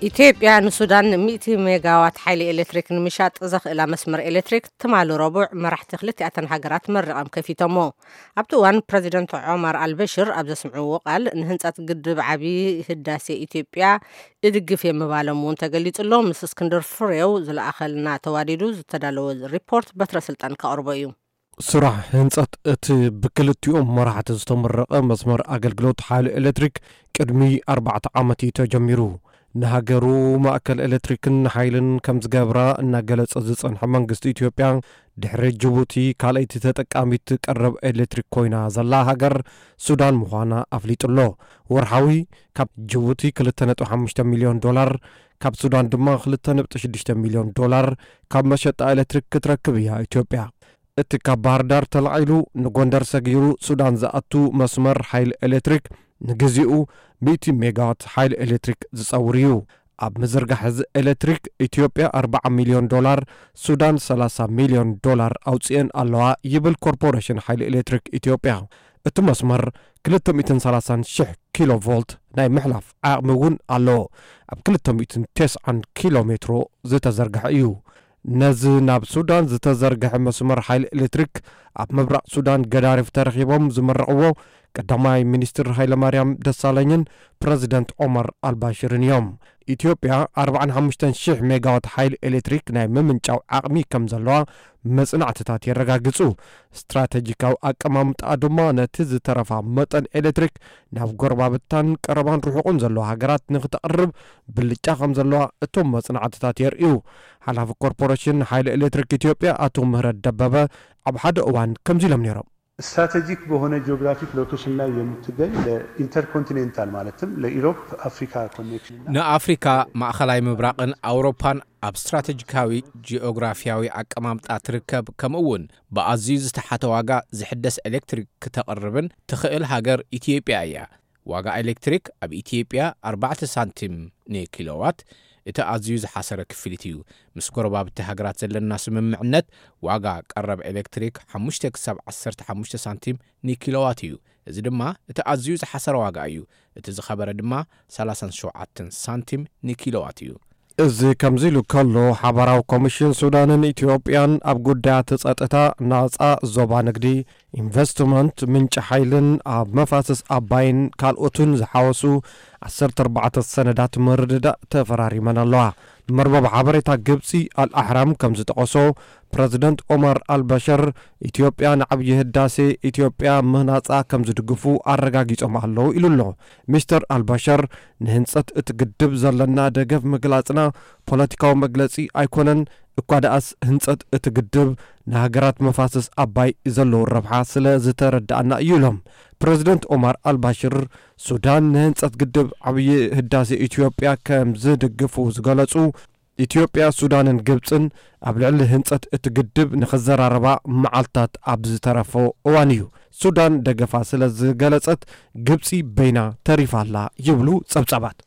ኢትዮጵያ ንሱዳን ሚእቲ ሜጋዋት ሓይሊ ኤሌክትሪክ ንምሻጥ ዘኽእላ መስመር ኤሌክትሪክ ትማሊ ረቡዕ መራሕቲ ክልቲኣተን ሃገራት መሪቖም ከፊቶሞ። ኣብቲ እዋን ፕረዚደንት ዖማር ኣልበሽር ኣብ ዘስምዕዎ ቃል፣ ንህንጸት ግድብ ዓቢ ህዳሴ ኢትዮጵያ እድግፍ የምባሎም እውን ተገሊጹ ኣሎ። ምስ እስክንድር ፍሬው ዝለኣኸልና ተዋዲዱ ዝተዳለወ ሪፖርት በትረ ስልጣን ከቕርቦ እዩ። ስራሕ ህንጸት እቲ ብክልቲኦም መራሕቲ ዝተመረቐ መስመር ኣገልግሎት ሓይሊ ኤሌክትሪክ ቅድሚ ኣርባዕተ ዓመት እዩ ተጀሚሩ። ንሃገሩ ማእከል ኤሌክትሪክን ሓይልን ከም ዝገብራ እናገለጸ ዝጸንሐ መንግስቲ ኢትዮጵያ፣ ድሕሪ ጅቡቲ ካልኣይቲ ተጠቃሚት ቀረብ ኤሌክትሪክ ኮይና ዘላ ሃገር ሱዳን ምዃና ኣፍሊጡ ኣሎ። ወርሓዊ ካብ ጅቡቲ ክልተ ነጥቢ ሓሙሽተ ሚልዮን ዶላር፣ ካብ ሱዳን ድማ ክልተ ነጥቢ ሽዱሽተ ሚልዮን ዶላር ካብ መሸጣ ኤሌክትሪክ ክትረክብ እያ ኢትዮጵያ። እቲ ካብ ባህር ዳር ተላዒሉ ንጎንደር ሰጊሩ ሱዳን ዝኣቱ መስመር ሓይሊ ኤሌክትሪክ ንግዚኡ ሚእቲ ሜጋዋት ሓይሊ ኤሌክትሪክ ዝጸውር እዩ። ኣብ ምዝርጋሕ እዚ ኤሌክትሪክ ኢትዮጵያ ኣርባዓ ሚልዮን ዶላር፣ ሱዳን ሰላሳ ሚልዮን ዶላር ኣውጺኤን ኣለዋ ይብል ኮርፖሬሽን ሓይሊ ኤሌክትሪክ ኢትዮጵያ። እቲ መስመር ክልተ ሚእትን ሰላሳን ሽሕ ኪሎ ቮልት ናይ ምሕላፍ ዓቕሚ እውን ኣለዎ። ኣብ ክልተ ሚእትን ተስዓን ኪሎ ሜትሮ ዝተዘርግሐ እዩ። ነዚ ናብ ሱዳን ዝተዘርግሐ መስመር ሓይሊ ኤሌክትሪክ ኣብ ምብራቕ ሱዳን ገዳሪፍ ተረኺቦም ዝመረቕዎ ቀዳማይ ሚኒስትር ሃይለማርያም ደሳለኝን ፕረዚደንት ኦመር ኣልባሽርን እዮም። ኢትዮጵያ ኣርባዓን ሓሙሽተን ሽሕ ሜጋዋት ሓይሊ ኤሌክትሪክ ናይ ምምንጫው ዓቕሚ ከም ዘለዋ መጽናዕትታት የረጋግጹ። ስትራተጂካዊ ኣቀማምጣ ድማ ነቲ ዝተረፋ መጠን ኤሌክትሪክ ናብ ጎረባብታን ቀረባን ርሑቕን ዘለዋ ሃገራት ንክተቕርብ ብልጫ ከም ዘለዋ እቶም መጽናዕትታት የርእዩ። ሓላፊ ኮርፖሬሽን ሓይሊ ኤሌክትሪክ ኢትዮጵያ ኣቶ ምህረት ደበበ ኣብ ሓደ እዋን ከምዚ ኢሎም ነይሮም። ስትራቴጂክ በሆነ ጂኦግራፊክ ሎኬሽን ላይ የምትገኝ ለኢንተርኮንቲኔንታል ማለትም ለኢሮፕ አፍሪካ ኮኔክሽን እና ንኣፍሪካ፣ ማእኸላይ ምብራቕን ኣውሮፓን ኣብ ስትራተጂካዊ ጂኦግራፊያዊ ኣቀማምጣ ትርከብ፣ ከምኡ እውን ብኣዝዩ ዝተሓተ ዋጋ ዝሕደስ ኤሌክትሪክ ክተቕርብን ትኽእል ሃገር ኢትዮጵያ እያ። ዋጋ ኤሌክትሪክ ኣብ ኢትዮጵያ ኣርባዕተ ሳንቲም ንኪሎዋት፣ እቲ ኣዝዩ ዝሓሰረ ክፍሊት እዩ። ምስ ጎረባብቲ ሃገራት ዘለና ስምምዕነት ዋጋ ቀረብ ኤሌክትሪክ ሓሙሽተ ክሳብ ዓሰርተ ሓሙሽተ ሳንቲም ንኪሎዋት እዩ። እዚ ድማ እቲ ኣዝዩ ዝሓሰረ ዋጋ እዩ። እቲ ዝኸበረ ድማ ሰላሳን ሸውዓተን ሳንቲም ንኪሎዋት እዩ። እዚ ከምዚ ኢሉ ከሎ፣ ሓባራዊ ኮሚሽን ሱዳንን ኢትዮጵያን ኣብ ጉዳያት ጸጥታ፣ ናጻ ዞባ ንግዲ፣ ኢንቨስትመንት፣ ምንጪ ሓይልን ኣብ መፋስስ ኣባይን ካልኦትን ዝሓወሱ ዓሰርተ ኣርባዕተ ሰነዳት ምርድዳእ ተፈራሪመን ኣለዋ። መርበብ ሓበሬታ ግብጺ ኣልኣሕራም ከም ዝጠቐሶ፣ ፕረዚደንት ኦማር ኣልበሸር ኢትዮጵያ ንዓብዪ ህዳሴ ኢትዮጵያ ምህናጻ ከም ዝድግፉ ኣረጋጊጾም ኣለዉ ኢሉ ኣሎ። ሚስተር ኣልበሸር፣ ንህንጸት እቲ ግድብ ዘለና ደገፍ ምግላጽና ፖለቲካዊ መግለጺ ኣይኮነን፣ እኳ ደኣስ ህንጸት እቲ ግድብ ንሃገራት መፋስስ ኣባይ ዘለዎ ረብሓ ስለ ዝተረድኣና እዩ ኢሎም። ፕረዚደንት ኦማር ኣልባሽር፣ ሱዳን ንህንጸት ግድብ ዓብዪ ህዳሴ ኢትዮጵያ ከም ዝድግፉ ዝገለጹ፣ ኢትዮጵያ፣ ሱዳንን ግብጽን ኣብ ልዕሊ ህንጸት እቲ ግድብ ንኽዘራረባ መዓልታት ኣብ ዝተረፎ እዋን እዩ ሱዳን ደገፋ ስለ ዝገለጸት ግብጺ በይና ተሪፋ ኣላ ይብሉ ጸብጻባት።